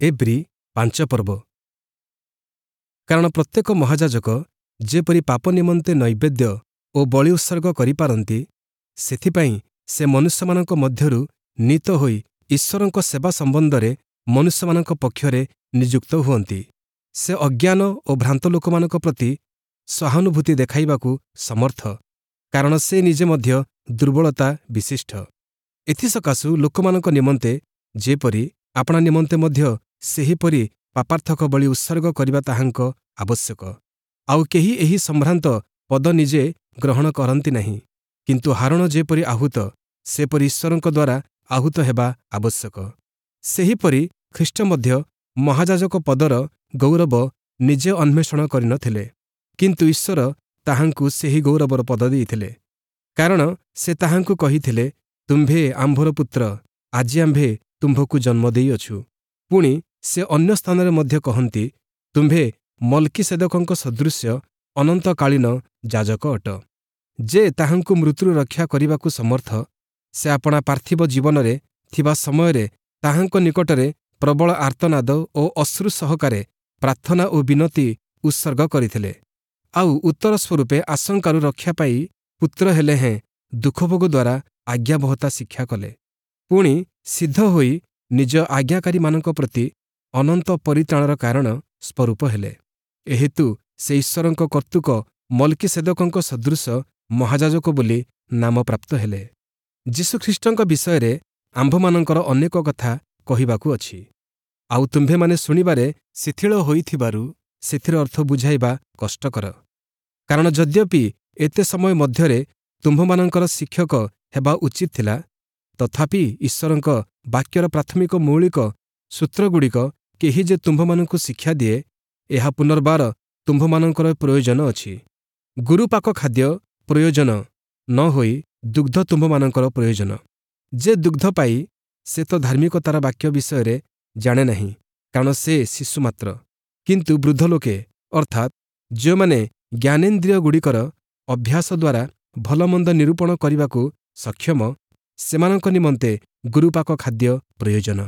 ଏବ୍ରୀ 5 ପର୍ବ। କାରଣ ପ୍ରତ୍ୟେକ ମହାଯାଜକ ଯେପରି ପାପ ନିମନ୍ତେ ନୈବେଦ୍ୟ ଓ ବଳି ଉତ୍ସର୍ଗ କରିପାରନ୍ତି, ସେଥିପାଇଁ ସେ ମନୁଷ୍ୟମାନଙ୍କ ମଧ୍ୟରୁ ନୀତ ହୋଇ ଈଶ୍ୱରଙ୍କ ସେବା ସମ୍ବନ୍ଧରେ ମନୁଷ୍ୟମାନଙ୍କ ପକ୍ଷରେ ନିଯୁକ୍ତ ହୁଅନ୍ତି। ସେ ଅଜ୍ଞାନ ଓ ଭ୍ରାନ୍ତ ଲୋକମାନଙ୍କ ପ୍ରତି ସହାନୁଭୂତି ଦେଖାଇବାକୁ ସମର୍ଥ, କାରଣ ସେ ନିଜେ ମଧ୍ୟ ଦୁର୍ବଳତା ବିଶିଷ୍ଟ। ଏଥିସକାଶୁ ଲୋକମାନଙ୍କ ନିମନ୍ତେ ଯେପରି, ଆପଣା ନିମନ୍ତେ ମଧ୍ୟ ସେହିପରି ପାପାର୍ଥକ ବଳି ଉତ୍ସର୍ଗ କରିବା ତାହାଙ୍କ ଆବଶ୍ୟକ। ଆଉ କେହି ଏହି ସମ୍ଭ୍ରାନ୍ତ ପଦ ନିଜେ ଗ୍ରହଣ କରନ୍ତି ନାହିଁ, କିନ୍ତୁ ହାରୋଣ ଯେପରି ଆହୁତ, ସେପରି ଈଶ୍ୱରଙ୍କ ଦ୍ୱାରା ଆହୁତ ହେବା ଆବଶ୍ୟକ। ସେହିପରି ଖ୍ରୀଷ୍ଟ ମଧ୍ୟ ମହାଯାଜକ ପଦର ଗୌରବ ନିଜେ ଅନ୍ୱେଷଣ କରିନଥିଲେ, କିନ୍ତୁ ଈଶ୍ୱର ତାହାଙ୍କୁ ସେହି ଗୌରବର ପଦ ଦେଇଥିଲେ। କାରଣ ସେ ତାହାଙ୍କୁ କହିଥିଲେ, ତୁମ୍ଭେ ଆମ୍ଭର ପୁତ୍ର, ଆଜି ଆମ୍ଭେ ତୁମ୍ଭକୁ ଜନ୍ମ ଦେଇଅଛୁ। ପୁଣି ସେ ଅନ୍ୟ ସ୍ଥାନରେ ମଧ୍ୟ କହନ୍ତି, ତୁମ୍ଭେ ମଲ୍କିସେଦକଙ୍କ ସଦୃଶ୍ୟ ଅନନ୍ତକାଳୀନ ଯାଜକ ଅଟ। ଯେ ତାହାଙ୍କୁ ମୃତ୍ୟୁରୁ ରକ୍ଷା କରିବାକୁ ସମର୍ଥ, ସେ ଆପଣା ପାର୍ଥିବ ଜୀବନରେ ଥିବା ସମୟରେ ତାହାଙ୍କ ନିକଟରେ ପ୍ରବଳ ଆର୍ତ୍ତନାଦ ଓ ଅଶ୍ରୁ ସହକାରେ ପ୍ରାର୍ଥନା ଓ ବିନତି ଉତ୍ସର୍ଗ କରିଥିଲେ। ଆଉ ଉତ୍ତର ସ୍ୱରୂପେ ଆଶଙ୍କାରୁ ରକ୍ଷା ପାଇ ପୁତ୍ର ହେଲେ ହେଁ ଦୁଃଖଭୋଗ ଦ୍ୱାରା ଆଜ୍ଞାବହତା ଶିକ୍ଷା କଲେ। ପୁଣି ସିଦ୍ଧ ହୋଇ ନିଜ ଆଜ୍ଞାକାରୀମାନଙ୍କ ପ୍ରତି ଅନନ୍ତ ପରିତ୍ରାଣର କାରଣ ସ୍ୱରୂପ ହେଲେ। ଏହେତୁ ସେ ଈଶ୍ୱରଙ୍କ କର୍ତ୍ତୃକ ମଲ୍କିସେଦକଙ୍କ ସଦୃଶ ମହାଯାଜକ ବୋଲି ନାମ ପ୍ରାପ୍ତ ହେଲେ। ଯୀଶୁଖ୍ରୀଷ୍ଟଙ୍କ ବିଷୟରେ ଆମ୍ଭମାନଙ୍କର ଅନେକ କଥା କହିବାକୁ ଅଛି, ଆଉ ତୁମ୍ଭେମାନେ ଶୁଣିବାରେ ଶିଥିଳ ହୋଇଥିବାରୁ ସେଥିର ଅର୍ଥ ବୁଝାଇବା କଷ୍ଟକର। କାରଣ ଯଦ୍ୟପି ଏତେ ସମୟ ମଧ୍ୟରେ ତୁମ୍ଭମାନଙ୍କର ଶିକ୍ଷକ ହେବା ଉଚିତ ଥିଲା, ତଥାପି ଈଶ୍ୱରଙ୍କ ବାକ୍ୟର ପ୍ରାଥମିକ ମୌଳିକ ସୂତ୍ରଗୁଡ଼ିକ କେହି ଯେ ତୁମ୍ଭମାନଙ୍କୁ ଶିକ୍ଷା ଦିଏ, ଏହା ପୁନର୍ବାର ତୁମ୍ଭମାନଙ୍କର ପ୍ରୟୋଜନ ଅଛି। ଗୁରୁପାକ ଖାଦ୍ୟ ପ୍ରୟୋଜନ ନ ହୋଇ ଦୁଗ୍ଧ ତୁମ୍ଭମାନଙ୍କର ପ୍ରୟୋଜନ। ଯେ ଦୁଗ୍ଧ ପାଇ ସେ ତ ଧାର୍ମିକତାର ବାକ୍ୟ ବିଷୟରେ ଜାଣେ ନାହିଁ, କାରଣ ସେ ଶିଶୁ ମାତ୍ର। କିନ୍ତୁ ବୃଦ୍ଧ ଲୋକେ, ଅର୍ଥାତ୍ ଯେଉଁମାନେ ଜ୍ଞାନେନ୍ଦ୍ରିୟଗୁଡ଼ିକର ଅଭ୍ୟାସ ଦ୍ୱାରା ଭଲମନ୍ଦ ନିରୂପଣ କରିବାକୁ ସକ୍ଷମ, ସେମାନଙ୍କ ନିମନ୍ତେ ଗୁରୁପାକ ଖାଦ୍ୟ ପ୍ରୟୋଜନ।